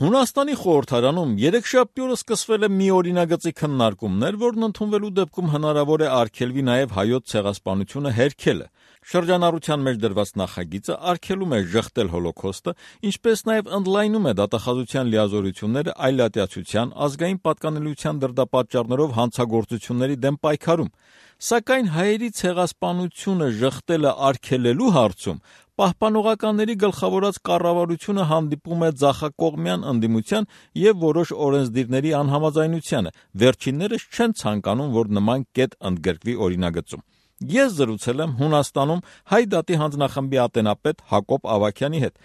Հունաստանի խորհրդարանում երեքշաբթի օրը սկսվել է մի օրինագծի քննարկումներ, որն ընդունվելու դեպքում հնարավոր է արգելվի նաև հայոց ցեղասպանությունը հերքելը։ Շրջանառության մեջ դրված նախագիծը արգելում է ժխտել հոլոքոստը, ինչպես նաև ընդլայնում է դատախազության լիազորությունները այլատյացության, ազգային պատկանելիության դրդապատճառներով հանցագործությունների դեմ պայքարում։ Սակայն հայերի ցեղասպանությունը ժխտելը արգելելու հարցում պահպանողականների գլխավորած կառավարությունը հանդիպում է ձախակողմյան ընդդիմության եւ որոշ օրենսդիրների անհամաձայնությանը։ Վերջիններս չեն ցանկանում, որ նման կետ ընդգրկվի օրինագծում։ Ես զրուցել եմ Հունաստանում Հայ դատի հանձնախմբի ատենապետ Հակոբ Ավագյանի հետ։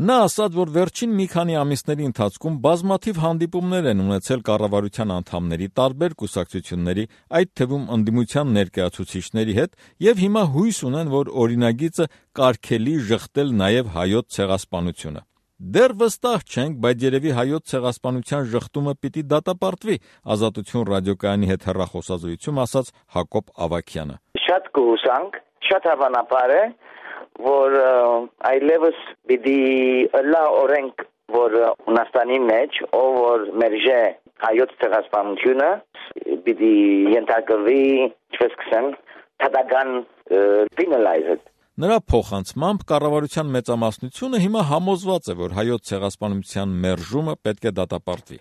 Նա ասաց, որ վերջին մի քանի ամիսների ընթացքում բազմաթիվ հանդիպումներ են ունեցել կառավարության անդամների, տարբեր կուսակցությունների, այդ թվում ընդդիմության ներկայացուցիչների հետ, եւ հիմա հույս ունեն, որ օրինագիծը կարգելի ժխտել նաև հայոց ցեղասպանությունը։ Դեռ վստահ չենք, բայց երևի հայոց ցեղասպանության ժխտումը պիտի դատապարտվի, Ազատություն ռադիոկայանի հետ հեռախոսազրույցում ասաց Հակոբ Ավագյանը։ Շատ կհուսանք, շատ հավանաբար է, որ այլևս պիտի լա օրենք, որ Հունաստանի մեջ, ով որ մերժե հայոց ցեղասպանությունը, պիտի ենթարկվի, ինչպես կսեմ, թադական penalized։ Նրա փոխանցմամբ կառավարության մեծամասնությունը հիմա համոզված է, որ հայոց ցեղասպանության մերժումը պետք է դատապարտվի։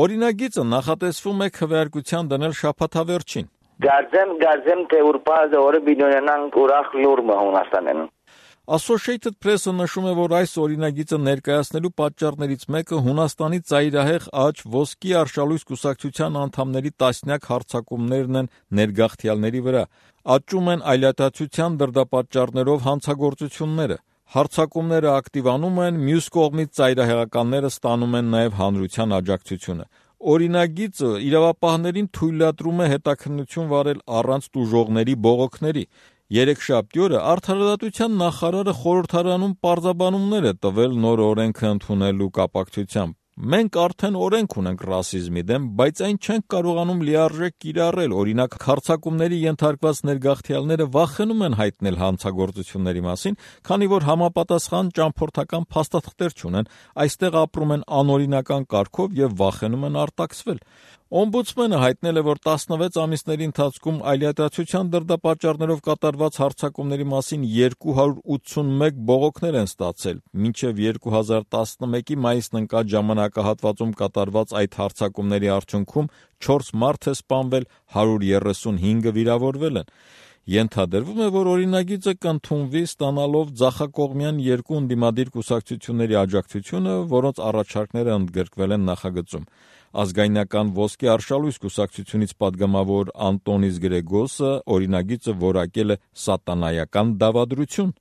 Օրինագիծը նախատեսվում է քվեարկության դնել շաբաթավերջին։ Գարձեմ թե ուրբազը օրը բիդոնյանանք ուրախ լուրմը Հունաստանեն։ Associated Press-ը նշում է, որ այս օրինագիծը ներկայացնելու պատճառներից մեկը Հունաստանի ծայրահեղ աճ ոսկի արշալույս կուսակցության անդամների տասնյակ հարձակումներն են ներգաղթյալների վրա։ Աճում են այլատացության դրդապատճառներով հանցագործությունները։ Հարձակումները ակտիվանում են, մյուս կողմից ծայրահեղականները ստանում են նաև հանրության աջակցությունը։ Օրինագիծը իրավապահներին թույլատրում է հետաքննություն վարել առանց տուժողների բողոքների։ Երեքշաբթի օրը Արդարադատության նախարարը խորհրդարանում պարզաբանումներ է տվել նոր օրենքը ընդունելու կապակցությամբ։ Մենք արդեն օրենք ունենք ռասիզմի դեմ, բայց այն չենք կարողանում լիարժեք կիրառել։ Օրինակ, հարձակումների ենթարկված ներգաղթյալները վախենում են հայտնել հանցագործությունների մասին, քանի որ համապատասխան ճամփորդական փաստաթղթեր չունեն, այստեղ ապրում են անօրինական կարգով եւ վախենում են արտաքսվել։ Օմբուդսմենը հայտնել է, որ 16 ամիսների ընթացքում այլատացության դրդապատճառներով կատարված հարձակումների մասին 281 բողոքներ են ստացել։ Մինչև 2011-ի մայիսն ընկած ժամանակահատվածում կատարված այդ հարձակումների արդյունքում 4 մարդ է սպանվել, 135-ը վիրավորվել են։ Ենթադրվում է, որ օրինագիծը կընդունվի ստանալով ձախակողմյան երկու ընդդիմադիր կուսակցությունների աջակցությունը, որոնց առաջարկները ընդգրկվել են նախագծում։ Ազգայնական ոսկի արշալույս կուսակցությունից պատգամավոր Անտոնիս Գրեգոսը օրինագիծը որակել է սատանայական դավադրություն։